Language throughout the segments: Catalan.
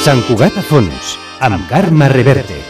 Sant Cugat a fons, amb Carme Reverte.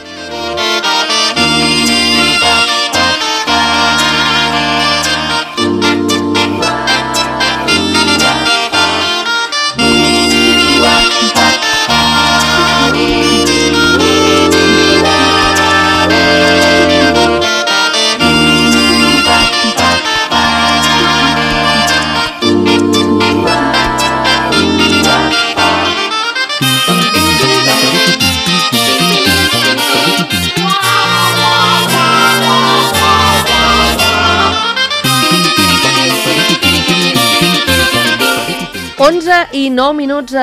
I 9 minuts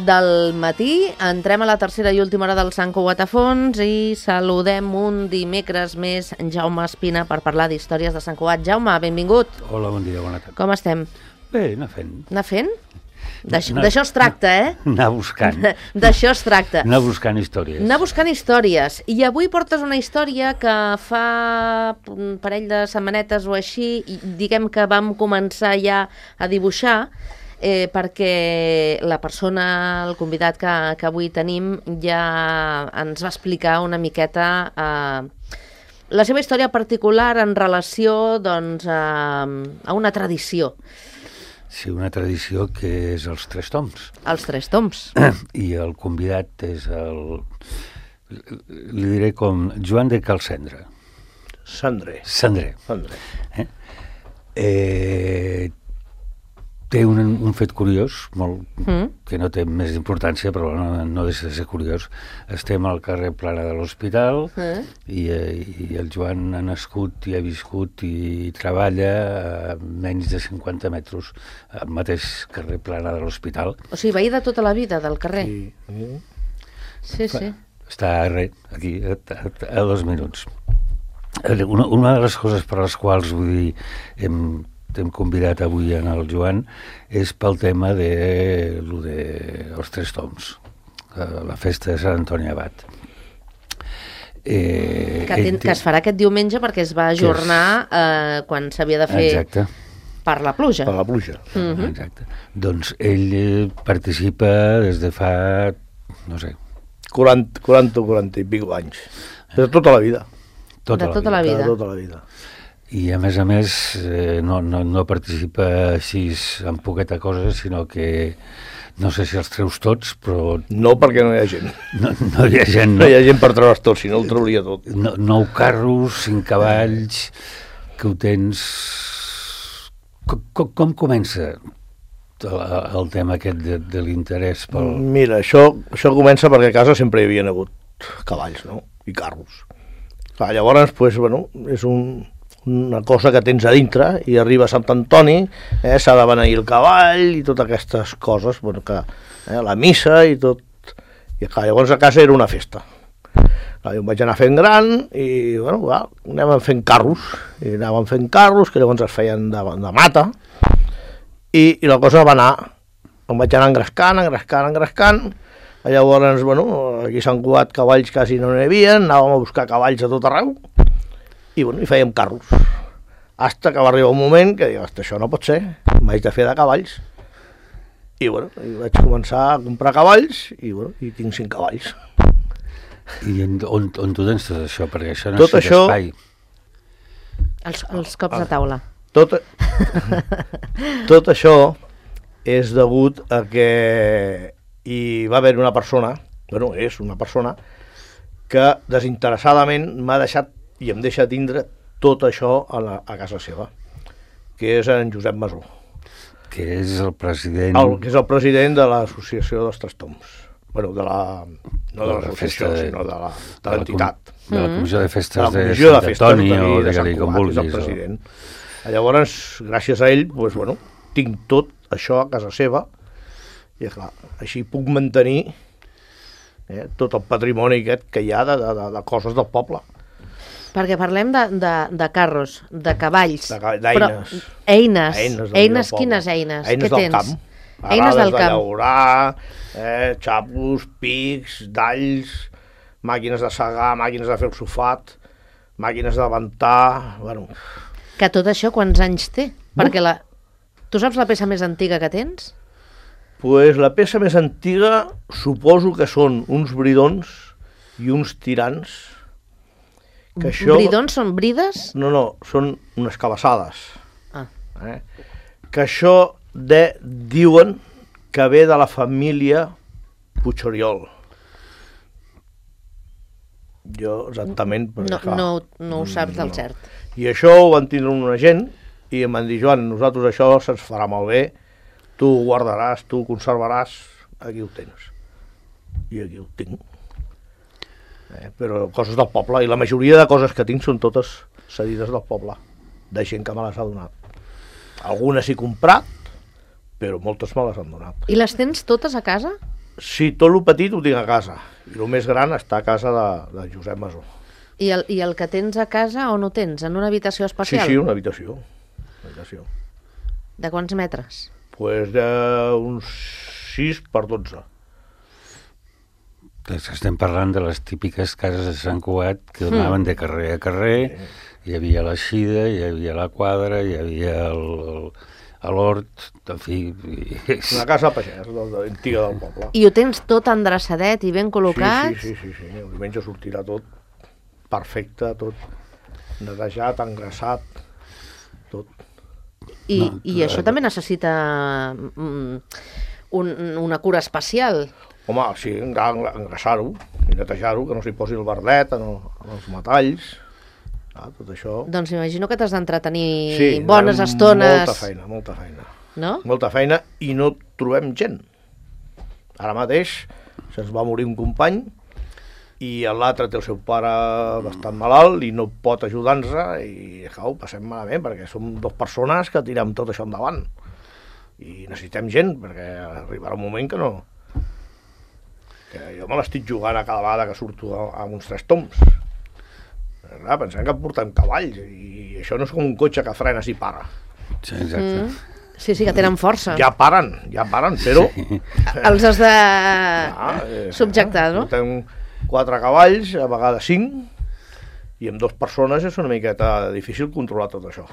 del matí, entrem a la tercera i última hora del Sant Cugat a fons i saludem un dimecres més Jaume Espina per parlar d'històries de Sant Cugat. Jaume, benvingut. Hola, bon dia, bona tarda. Com estem? Bé, anar fent. Anar fent? D'això es tracta, Anar buscant. D'això es tracta. Anar buscant històries. Anar buscant històries. I avui portes una història que fa un parell de setmanetes o així, diguem que vam començar ja a dibuixar, perquè la persona, el convidat que avui tenim, ja ens va explicar una miqueta la seva història particular en relació doncs, a una tradició. Sí, una tradició que és els Tres Tombs. Els Tres Tombs. I el convidat és li diré com Joan de Calcendre. Cendrer. Té un fet curiós, que no té més importància, però no deixa de ser curiós. Estem al carrer Plana de l'Hospital i el Joan ha nascut i ha viscut i treballa a menys de 50 metres al mateix carrer Plana de l'Hospital. O sigui, veí de tota la vida del carrer. Sí. Està aquí, a 2 minuts. Una de les coses per les quals, vull dir, hem convidat avui en el Joan és pel tema dels Tres Tombs, la festa de Sant Antoni Abat. Que es farà aquest diumenge perquè es va ajornar quan s'havia de fer. Exacte. Per la pluja. Exacte. Doncs ell participa des de fa, no sé... 40 o 40 i pico anys. De tota la vida. De tota la vida. I a més no participa així en poqueta cosa, sinó que no sé si els treus tots, però... No, perquè no hi ha gent. No hi ha gent, no hi ha gent per treure's tots, si no el trauria tot. 9 carros, 5 cavalls, que ho tens... Com comença el tema aquest de l'interès pel... Mira, això comença perquè a casa sempre hi havia hagut cavalls, no? I carros. Llavors, és una cosa que tens a dintre i arriba a Sant Antoni, s'ha de beneir el cavall i totes aquestes coses, la missa i tot. I llavors a casa era una festa. Jo em vaig anar fent gran i anàvem fent carros, que llavors es feien de mata, i la cosa va anar, em vaig anar engrescant, llavors, aquí a Sant Cugat cavalls quasi no n'hi havia, anàvem a buscar cavalls a tot arreu, i fèiem carros, hasta que va arribar un moment que dic, això no pot ser, m'haig de fer de cavalls, i vaig començar a comprar cavalls, i tinc 5 cavalls. I on tu tens tot això? Perquè això necessita espai. Els cops de taula. Tot això és degut a que hi va haver una persona, és una persona, que desinteressadament m'ha deixat i em deixa tindre tot això a casa seva, que és en Josep Masó. Que és el president... Que és el president de l'associació dels Tres Tombs. No de l'associació, sinó de l'entitat. De la Comissió de Festes de Sant Antoni, o de Gali, com vulguis. És el president. Llavors, gràcies a ell, tinc tot això a casa seva, i clar, així puc mantenir tot el patrimoni aquest que hi ha de coses del poble. Perquè parlem de carros, de cavalls. D'eines. Eines, quines eines? Eines del camp. Eines del camp. De llaurar, xapos, pics, dalls, màquines de segar, màquines de fer el sofat, màquines de ventar... Que tot això quants anys té? Perquè tu saps la peça més antiga que tens? Pues la peça més antiga suposo que són uns bridons i uns tirants. Que això... Bridons són brides? No, són unes cabassades. Ah. Que això diuen que ve de la família Puigoriol. Jo exactament... No ho saps del cert. I això ho van tindre una gent i em van dir, Joan, nosaltres això se'ns farà malbé, tu ho guardaràs, tu ho conservaràs, aquí ho tens. I aquí ho tinc. Però coses del poble, i la majoria de coses que tinc són totes cedides del poble, de gent que me les ha donat. Algunes he comprat, però moltes me les han donat. I les tens totes a casa? Sí, tot el petit ho tinc a casa, i el més gran està a casa de Josep Masó. I el que tens a casa, on ho tens? En una habitació especial? Sí, una habitació. De quants metres? Pues d'uns 6 per 12. Estem parlant de les típiques cases de Sant Cugat que donaven de carrer a carrer, hi havia l'eixida, hi havia la quadra, hi havia l'hort, en fi... Una casa pagès, antiga del poble. I ho tens tot endreçadet i ben col·locat? Sí. El diumenge sortirà tot perfecte, tot netejat, engraçat, tot. I això també necessita una cura especial? Home, sí, engraçar-ho i netejar-ho, que no s'hi posi el verdet en els metalls, tot això. Doncs m'imagino que t'has d'entretenir bones estones. Molta feina. No? Molta feina i no trobem gent. Ara mateix se'ns va morir un company i l'altre té el seu pare bastant malalt i no pot ajudar-nos i ho passem malament perquè som 2 persones que tirem tot això endavant i necessitem gent perquè arribarà un moment que no... que jo me l'estic jugant a cada vegada que surto amb uns 3 toms. Clar, pensem que portem cavalls i això no és com un cotxe que frenes i para. Sí, exacte. Sí, que tenen força. Ja paren, però... Sí. Els has de subjectar, no? Portem 4 cavalls, a vegades 5, i amb 2 persones és una miqueta difícil controlar tot això.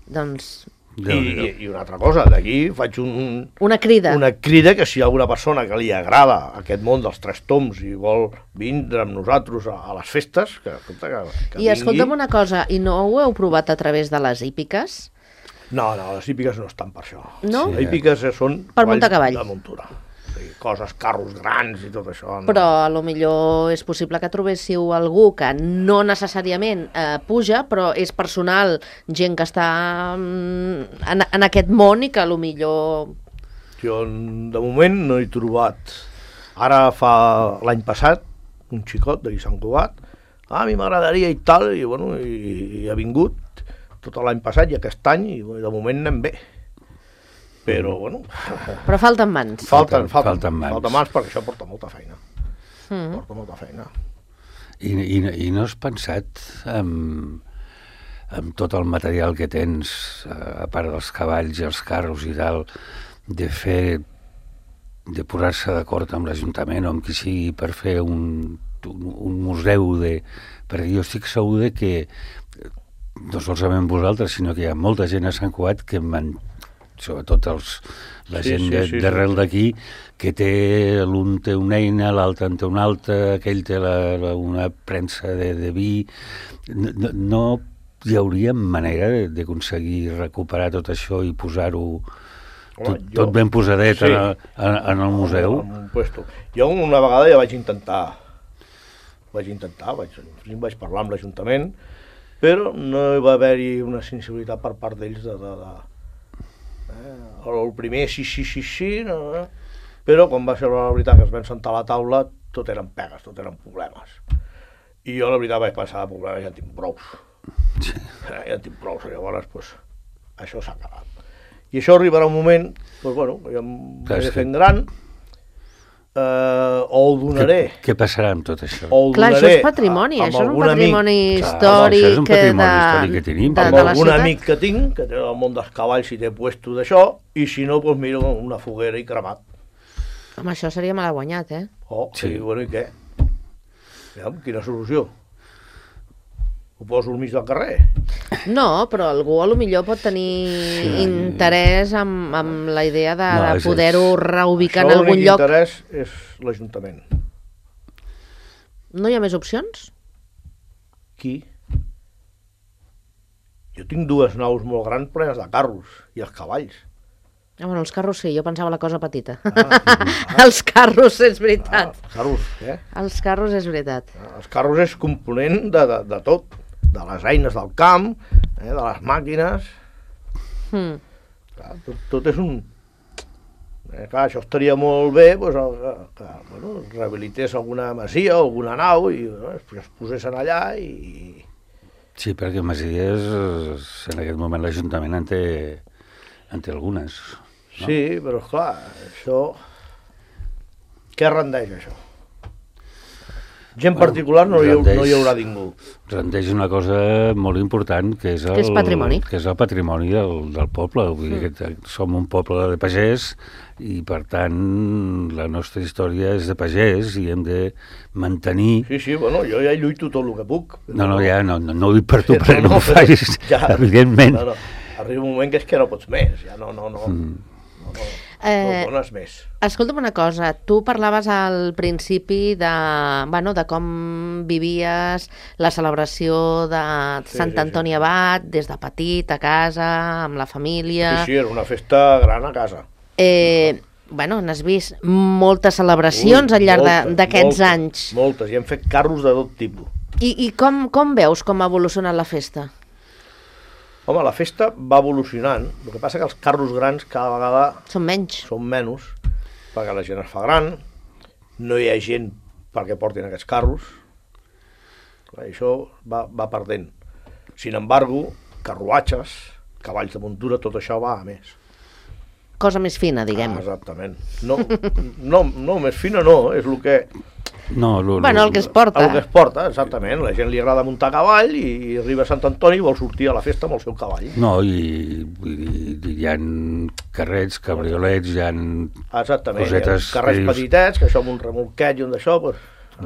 Doncs... I una altra cosa, d'aquí faig una crida. Una crida que si hi ha alguna persona que li agrada aquest món dels 3 toms i vol vindre amb nosaltres a les festes, que I escolta'm una cosa, i no ho heu provat a través de les hípiques? No, les hípiques no estan per això. No? Les hípiques són per muntar cavall. De muntura. Coses, carros grans i tot això. No. Però a lo millor és possible que trobéssiu algú que no necessàriament puja, però és personal, gent que està en aquest món i que a lo millor... Jo de moment no he trobat. Ara fa l'any passat, un xicot de Sant Cugat, a mi m'agradaria i tal, i ha vingut tot l'any passat i aquest any, i de moment anem bé. Però, Però falten mans. Falten mans perquè això porta molta feina. Porta molta feina. I no has pensat amb tot el material que tens, a part dels cavalls i els carros i tal, de posar-se d'acord amb l'Ajuntament o amb qui sigui per fer un museu perquè jo estic segur que no solament vosaltres, sinó que hi ha molta gent a Sant Cugat que sobretot la gent d'arrel d'aquí, que l'un té una eina, l'altre en té una altra, aquell té una premsa de vi. No hi hauria manera d'aconseguir recuperar tot això i posar-ho tot ben posadet en el museu? Jo una vegada ja vaig intentar, vaig parlar amb l'Ajuntament, però no hi va haver-hi una sensibilitat per part d'ells el primer sí, no. Però quan va ser la veritat que es van sentar a la taula tot eren pegues, tot eren problemes i jo la veritat vaig pensar de problemes ja en tinc prous, llavors això s'ha acabat i això arribarà un moment jo em vaig fent gran o ho donaré. Què passarà amb tot això? Clar, això és patrimoni, això és un patrimoni històric. Això és un patrimoni històric que tenim. Amb algun amic que tinc, que té el món dels cavalls i té puesto d'això, i si no, doncs miro una foguera i cremat. Home, això seria mal guanyat, eh? Sí, i què? Quina solució? Ho poso al mig del carrer? No, però algú a lo millor pot tenir interès amb la idea de poder-ho reubicar en algun lloc. Això l'únic interès és l'Ajuntament. No hi ha més opcions? Qui? Jo tinc 2 naus molt grans plenes de carros i els cavalls. Bueno, els carros sí, jo pensava la cosa petita. Els carros, és veritat. Els carros, què? Els carros és veritat. Els carros és component de tot, de les eines del camp, de les màquines. Clar, tot és un... Clar, això estaria molt bé que rehabilités alguna masia o alguna nau i es posessin allà i... Sí, perquè masies, en aquest moment l'Ajuntament en té algunes. No? Sí, però esclar, això... Què rendeix, això? Gent particular no hi haurà ningú. Rendeix una cosa molt important, que és el patrimoni. Que és el patrimoni del poble. Vull dir que som un poble de pagès i, per tant, la nostra història és de pagès i hem de mantenir... Sí, bueno, jo ja lluito tot el que puc. No ho dic per tu, perquè no ho facis, evidentment. No. Arriba un moment que és que no pots més, ja no dones més. Escolta'm una cosa, tu parlaves al principi de com vivies la celebració de Sant Antoni Abat, des de petit, a casa, amb la família... Sí, era una festa gran a casa. N'has vist moltes celebracions al llarg d'aquests anys. Moltes, i hem fet carros de tot tipus. I com veus com ha evolucionat la festa? Home, la festa va evolucionant. El que passa que els carros grans cada vegada... Són menys, perquè la gent es fa gran, no hi ha gent perquè portin aquests carros. Clar, això va perdent. Sin embargo, carruatges, cavalls de muntura, tot això va a més. Cosa més fina, diguem. Exactament. No, més fina no, és el que... el que es porta. El que es porta, exactament. La gent li agrada muntar a cavall i arriba a Sant Antoni i vol sortir a la festa amb el seu cavall. No, i hi ha carrets, cabriolets, hi ha cosetes... Carrers petitets, que això amb un remolquet i un d'això...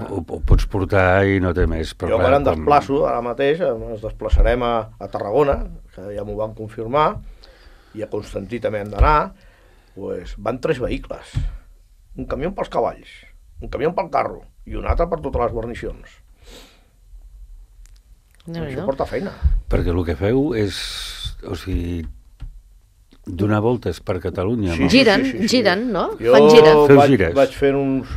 Ho pots portar i no té més. Jo quan em desplaço, ara mateix, ens desplaçarem a Tarragona, que ja m'ho van confirmar, i a Constantí també hem d'anar, van 3 vehicles. Un camió pels cavalls, un camió pel carro i un altre per totes les guarnicions. Això porta feina. Perquè el que feu és, donar voltes per Catalunya. Sí. Giren, no? Fan gires. Vaig fer uns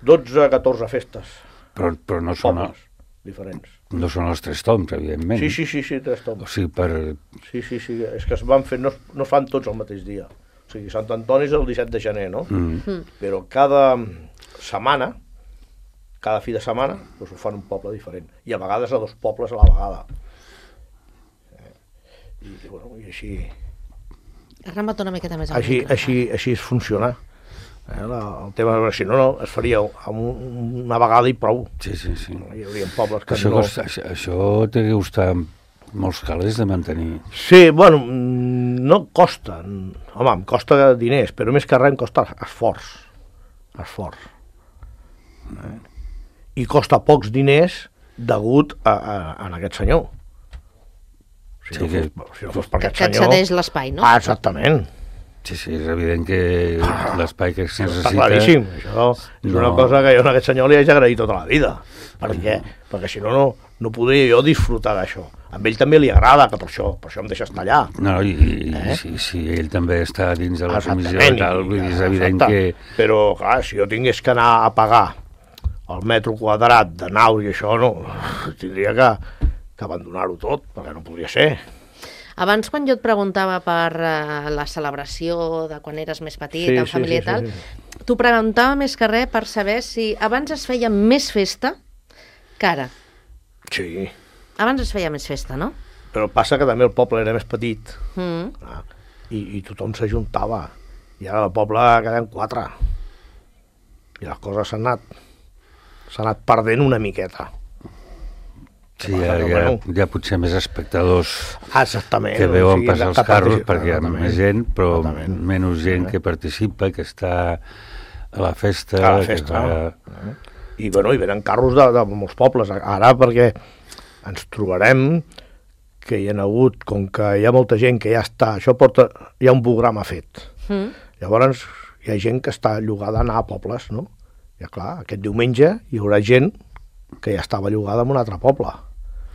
12-14 festes. Però no són diferents. No són els 3 toms, evidentment. Sí, 3 toms. Sí, és que es van fer, no es fan tots el mateix dia. Sant Antoni és el 17 de gener, no? Però cada setmana, cada fi de setmana, ho fan un poble diferent. I a vegades a 2 pobles a la vegada. I així... Arrama't una miqueta més. Així és funcionar. El tema, si no, es faria una vegada i prou. Sí. Hi haurien pobles que Això té que costar molts calés de mantenir. Sí, bueno, no costa. Home, em costa diners, però més que res em costa esforç. I costa pocs diners degut a aquest senyor. Si no fos per aquest senyor... Que et cedeix l'espai, no? Exactament. Sí, és evident que l'espai que es necessita... Està claríssim, això és una cosa que jo a aquest senyor li haig d'agrair tota la vida, perquè si no podria jo disfrutar d'això. A ell també li agrada, que per això em deixa estar allà. No, si ell també està dins de la comissió i tal, és evident que... Però, clar, si jo tingués que anar a pagar el metro quadrat de naus i això, no, tindria que abandonar-ho tot, perquè no podria ser. Abans, quan jo et preguntava per la celebració de quan eres més petit, en família i tal, t'ho preguntava més que res per saber si abans es feia més festa que ara. Sí. Abans es feia més festa, no? Però passa que també el poble era més petit i tothom s'ajuntava. I ara al poble queden 4. I les coses s'han anat perdent una miqueta. Sí, hi ha potser més espectadors que veuen passar els carros perquè hi ha més gent, però menys gent que participa, que està a la festa. I venen carros de molts pobles. Ara perquè ens trobarem que hi ha hagut, com que hi ha molta gent que ja està, hi ha un programa fet. Llavors hi ha gent que està llogada a anar a pobles, no? I clar, aquest diumenge hi haurà gent que ja estava llogada en un altre poble.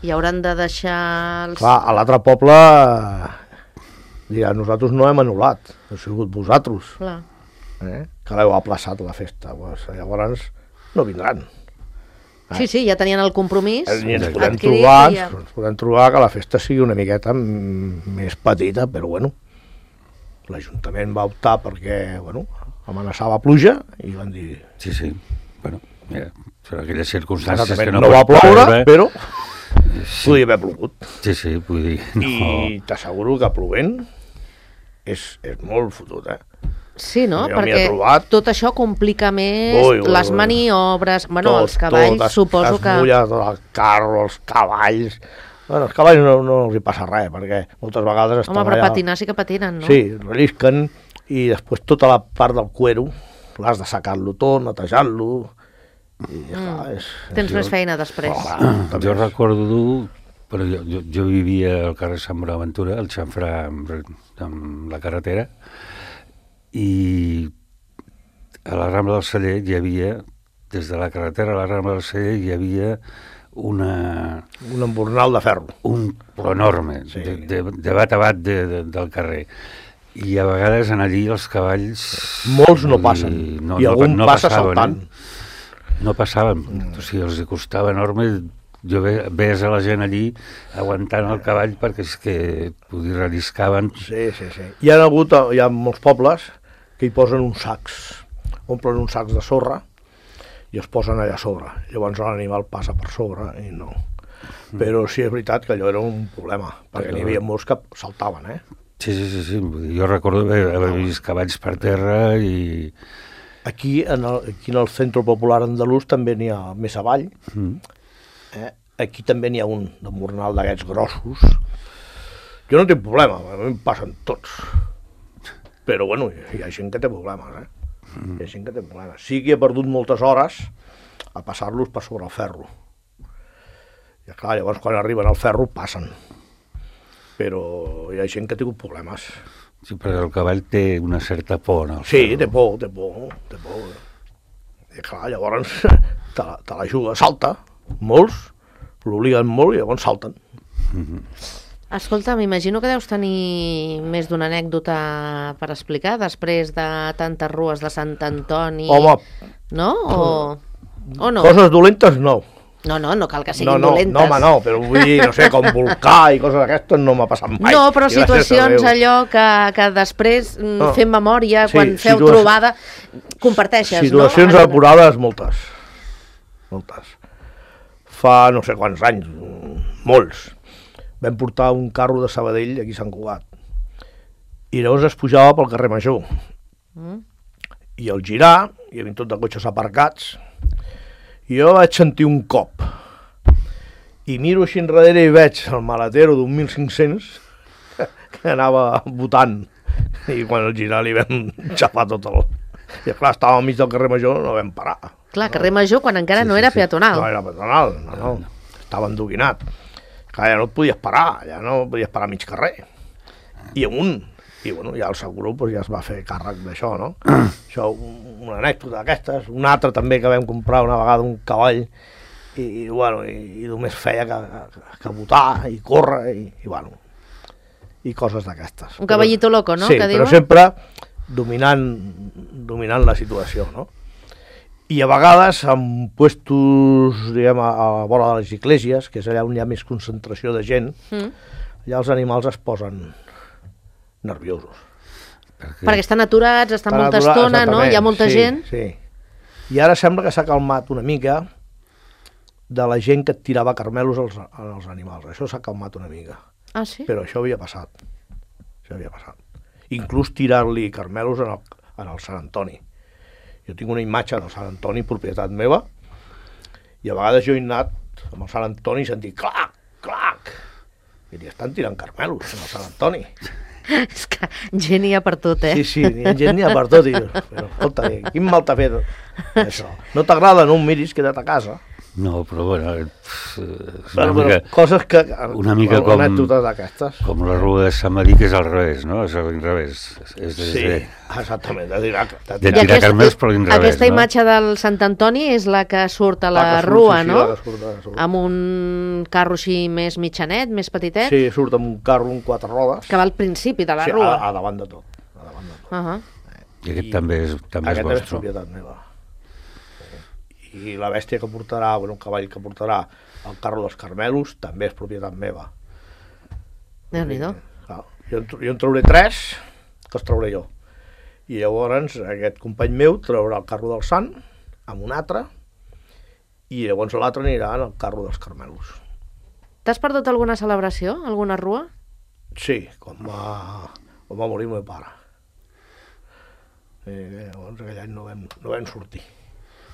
I hauran de deixar els... Clar, a l'altre poble dirà, nosaltres no hem anul·lat, heu sigut vosaltres, que l'heu aplaçat la festa. Pues, llavors no vindran. Sí, ja tenien el compromís. I ens podem trobar que la festa sigui una miqueta més petita, però bueno, l'Ajuntament va optar perquè, bueno, amenaçava pluja i van dir... Sí, bueno, mira, per aquelles circumstàncies que no va ploure, però podia haver plogut. Sí, vull dir... I t'asseguro que plovent és molt fotut, Sí, no? Perquè tot això complica més les maniobres, bueno, els cavalls suposo que... Es mulla tot el carro, els cavalls... Bueno, els cavalls no els hi passa res, perquè moltes vegades estan allà... Home, però patinar sí que patinen, no? Sí, rellisquen, i després tota la part del cuero l'has de sacar-lo tot, netejar-lo... Tens més feina després. Jo recordo, però jo vivia al carrer Sant Bonaventura, al xamfrà amb la carretera, i a la Rambla del Celler hi havia, des de la carretera a la Rambla del Celler hi havia un embornal de ferro. Però enorme, de bat a bat del carrer. I a vegades en allí els cavalls... Molts no passen, i algun passa saltant. No passaven, o sigui, els costava enorme. Jo veies a la gent allí aguantant el cavall perquè és que relliscaven. Sí. Hi ha molts pobles que hi posen uns sacs, omplen uns sacs de sorra i es posen allà a sobre. Llavors l'animal passa per sobre i no. Però sí és veritat que allò era un problema, perquè n'hi havia molts que saltaven, Sí. Jo recordo haver vist cavalls per terra i... Aquí en el Centre Popular Andalús també n'hi ha més avall. Aquí també n'hi ha un d'embornal d'aquests grossos. Jo no tinc problema, a mi em passen tots. Però bueno, hi ha gent que té problemes, Hi ha gent que té problemes. Sí que he perdut moltes hores a passar-los per sobre el ferro. I clar, llavors quan arriben al ferro passen. Però hi ha gent que ha tingut problemes. Sí, perquè el cavall té una certa por, no? Sí, té por. I clar, llavors te la juga, salta, molts, l'obliguen molt i llavors salten. Escolta, m'imagino que deus tenir més d'una anècdota per explicar després de tantes rues de Sant Antoni. Home! No? O no? Coses dolentes no. No cal que siguin dolentes. No, home, no, però vull dir, no sé, com volcà i coses d'aquestes no m'ha passat mai. No, però situacions allò que després fem memòria, quan feu trobada, comparteixes, no? Situacions apurades, moltes. Fa no sé quants anys, molts. Vam portar un carro de Sabadell aquí a Sant Cugat. I llavors es pujava pel carrer Major. I al girar, hi havia tot de cotxes aparcats, i jo vaig sentir un cop. I miro així enrere i veig el maletero d'un 1.500 que anava botant. I quan al girar li vam xafar tot el... I clar, estava al mig del carrer Major, no vam parar. Clar, carrer Major quan encara no era peatonal. No era peatonal, no. Estava endoguinat. Clar, ja no et podies parar, a mig carrer. I amunt. I bueno, ja el seguro ja es va fer càrrec d'això, no? Això, una anècdota d'aquestes. Una altra també que vam comprar una vegada un cavall i només feia que botar i córrer i coses d'aquestes. Un cavallito loco, no? Sí, però sempre dominant la situació, no? I a vegades en puestos, diguem, a la vora de les esglésies, que és allà on hi ha més concentració de gent, allà els animals es posen nerviosos. Perquè estan aturats, estan molta estona, no? Hi ha molta gent. Sí. I ara sembla que s'ha calmat una mica de la gent que et tirava carmelos als animals. Això s'ha calmat una mica. Ah, sí? Però això havia passat. Inclús tirar-li carmelos en el Sant Antoni. Jo tinc una imatge del Sant Antoni, propietat meva, i a vegades jo he anat amb el Sant Antoni i sentit clac, clac. I li estan tirant carmelos en el Sant Antoni. És que gent hi ha per tot, Sí, gent hi ha per tot. Però, escolta, quin mal t'ha fet això? No t'agrada, no ho miris, queda't a casa. No, però bueno, és coses que... una mica com... Anècdotes d'aquestes. Com la rua de Sant Madí, que és al revés, no? És a l'inrevés. Sí, exactament, de tirar carmels, però a l'inrevés, aquesta imatge del Sant Antoni és la que surt a la rua, no? Amb un carro així més mitjanet, més petitet? Sí, surt amb un carro amb 4 rodes. Que va al principi de la rua. Sí, a davant de tot. I aquest també és vostre. Aquest és propietat meva. I la bèstia que portarà, un cavall que portarà el carro dels Carmelos, també és propietat meva. Déu-n'hi-do. Jo en trauré 3, que els trauré jo. I llavors aquest company meu traurà el carro del Sant, amb un altre, i llavors l'altre anirà en el carro dels Carmelos. T'has perdut alguna celebració, alguna rua? Sí, quan va morir el meu pare. Llavors aquell any no vam sortir.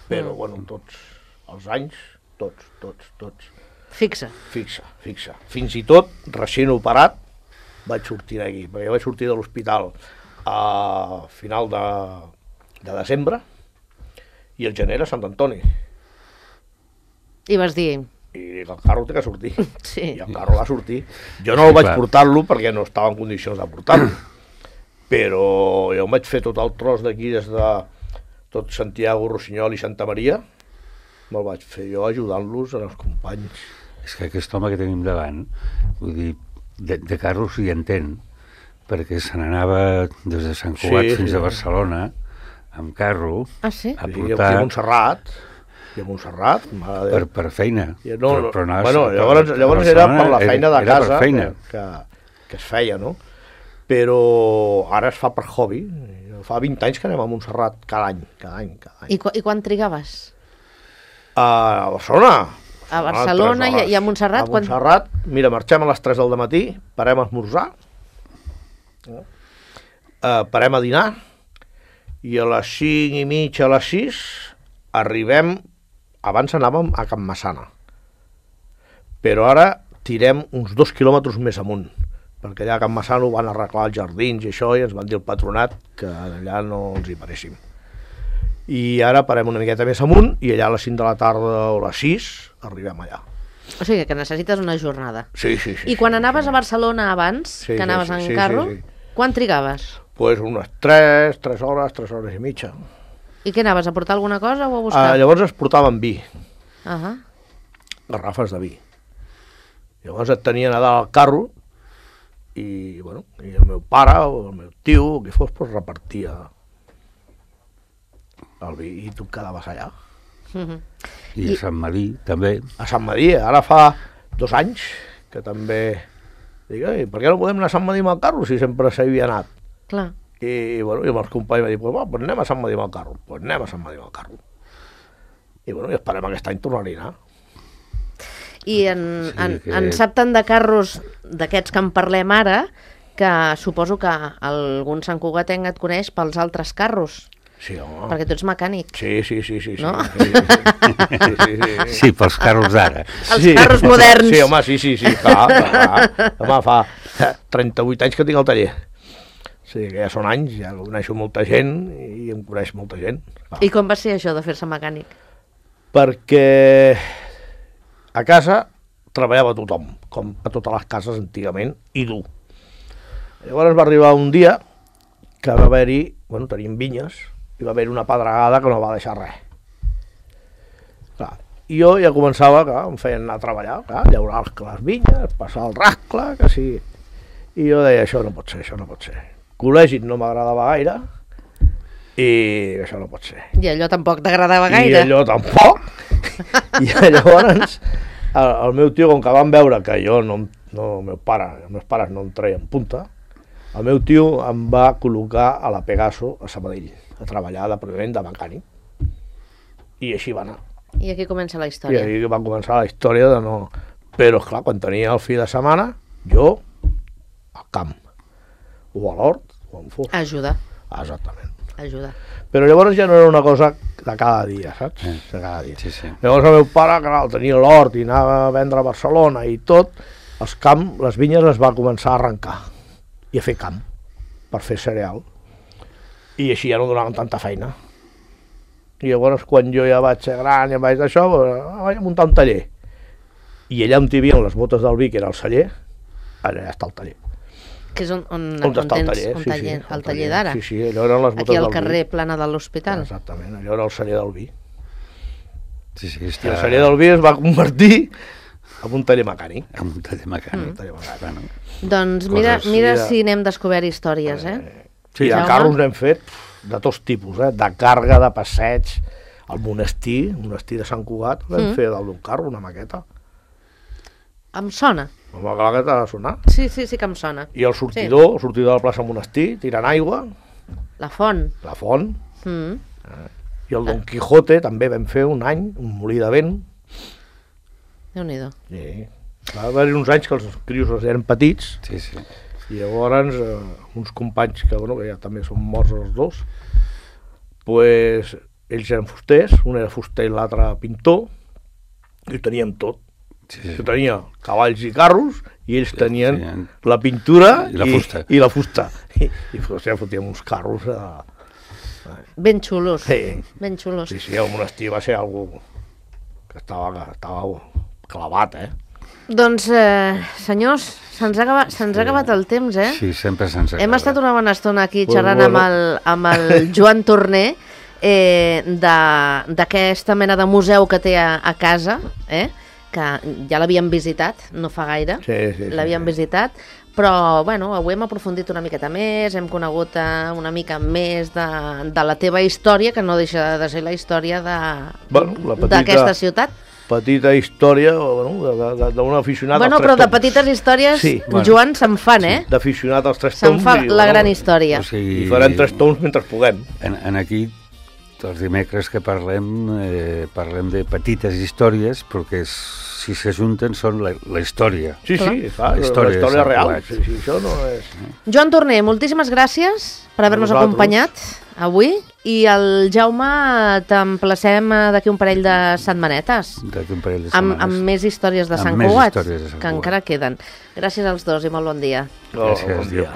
Però, tots els anys, tots. Fixa. Fins i tot, recent operat, vaig sortir d'aquí, perquè jo vaig sortir de l'hospital a final de desembre i el gener a Sant Antoni. I vas dir... I el carro té que sortir. Sí. I el carro va sortir. Jo no el vaig portar-lo perquè no estava en condicions de portar-lo. Però jo em vaig fer tot el tros d'aquí des de tot Santiago, Rossinyol i Santa Maria, me'l vaig fer jo ajudant-los als companys. És que aquest home que tenim davant, vull dir, de carros hi entén, perquè se n'anava des de Sant Cugat fins a Barcelona, amb carro, a portar... I a Montserrat, per feina. Llavors era per la feina de casa que es feia, no? Però ara es fa per hobby. Fa 20 anys que anem a Montserrat cada any. I quan trigaves? A Barcelona. A Barcelona i a Montserrat? A Montserrat, mira, marxem a les 3 del matí, parem a esmorzar, parem a dinar, i a les 5 i mitja, a les 6, arribem, abans anàvem a Can Massana, però ara tirem uns 2 quilòmetres més amunt, perquè allà a Can Massana van arreglar els jardins i això, i ens van dir el patronat que allà no ens hi paréssim. I ara parem una miqueta més amunt, i allà a les 5 de la tarda o a les 6 arribem allà. O sigui que necessites una jornada. Sí. I quan anaves a Barcelona abans, que anaves en carro, quan trigaves? Pues unes 3 hores i mitja. I què anaves, a portar alguna cosa o a buscar? Llavors es portaven vi. Garrafes de vi. Llavors et tenien a dalt al carro, i el meu pare o el meu tio, o qui fos, repartia el vi, i tu quedaves allà. I a Sant Madí, també. A Sant Madí, ara fa 2 anys, que també... Dic, per què no podem anar a Sant Madí amb el carro, si sempre s'havia anat? Clar. I amb els companys va dir, pues anem a Sant Madí amb el carro. Pues anem a Sant Madí amb el carro. I esperem aquest any tornar-hi a anar. I en sap tant de carros d'aquests que en parlem ara, que suposo que algun Sant Cugatenc et coneix pels altres carros. Sí, home. Perquè tu ets mecànic. Sí. No? Sí, pels carros d'ara. Els carros moderns. Sí, home, sí. Clar. Home, fa 38 anys que tinc el taller. Sí, que ja són anys, ja coneixo molta gent i em coneix molta gent. I com va ser això de fer-se mecànic? Perquè a casa treballava tothom, com a totes les cases antigament, i dur. Llavors va arribar un dia que va haver-hi, teníem vinyes, i va haver-hi una pedregada que no va deixar res. Clar, i jo ja començava, em feien anar a treballar, llaurar les vinyes, passar el rascle, que sí. I jo deia, això no pot ser. Col·legi no m'agradava gaire, i això no pot ser. I allò tampoc t'agradava gaire. I allò tampoc. I llavors el meu tio, com que van veure que jo els meus pares no em treien punta, el meu tio em va col·locar a la Pegaso a Sabadell, a treballar de mecànic. I així va anar. I aquí comença la història. I aquí va començar la història de no... Però, esclar, quan tenia el fi de setmana, jo al camp, o a l'hort, o on fos. Ajudar. Exactament. Ajudar. Però llavors ja no era una cosa de cada dia, saps? De cada dia. Sí. Llavors el meu pare, clar, tenia l'hort i anava a vendre a Barcelona i tot, les vinyes es va començar a arrencar i a fer camp per fer cereal. I així ja no donaven tanta feina. i llavors quan jo ja vaig ser gran, ja vaig d'això, vaig muntar un taller. I allà on hi havia les botes del vi, que era el celler, allà està el taller. Que és on està el taller, el taller d'ara. Sí, allò eren les botes aquí al del vi. carrer Plana de l'Hospital. Exactament, allò era el celler del vi. Sí, I el celler del vi es va convertir en un taller mecànic. En un taller mecànic. Bueno. Doncs mira si n'hem descobert històries, Sí, de carros n'hem fet de tots tipus, de càrrega, de passeig, al monestir de Sant Cugat, vam fer dalt d'un carro una maqueta. Em sona. Home, clar que t'ha de sonar. Sí que em sona. I el sortidor de la plaça Monestir, tirant aigua. La font. I el Don Quijote també vam fer un any, un molí de vent. Déu-n'hi-do. Sí. Va haver-hi uns anys que els crios eren petits, i llavors uns companys que ja també són morts els dos, pues, ells eren fusters, un era fuster i l'altre pintor, i ho teníem tot. Jo tenia cavalls i carros i ells tenien la pintura i la fusta. I fotíem uns carros ben xulos. Ben xulos. Sí, el monestir va ser algo que estava clavat, Doncs, senyors, se'ns ha acabat el temps, Sí, sempre se'ns acaba. Hem estat una bona estona aquí xerrant amb el Joan Torner d'aquesta mena de museu que té a casa, que ja l'havíem visitat, no fa gaire, l'havíem visitat, però avui hem aprofundit una miqueta més, hem conegut una mica més de la teva història, que no deixa de ser la història d'aquesta ciutat. Petita història d'un aficionat als 3 toms. Però de petites històries, Joan, se'n fan, d'aficionat als 3 toms. Se'n fa la gran història. I farem 3 toms mentre puguem. Aquí, els dimecres que parlem de petites històries, perquè si s'ajunten són la història. Sí, la història real. Això no és... Joan Torner, moltíssimes gràcies per haver-nos acompanyat avui, i el Jaume t'emplacem d'aquí un parell de setmanetes. Amb més històries de Sant Cugat, que encara queden. Gràcies als dos i molt bon dia. Gràcies, Déu.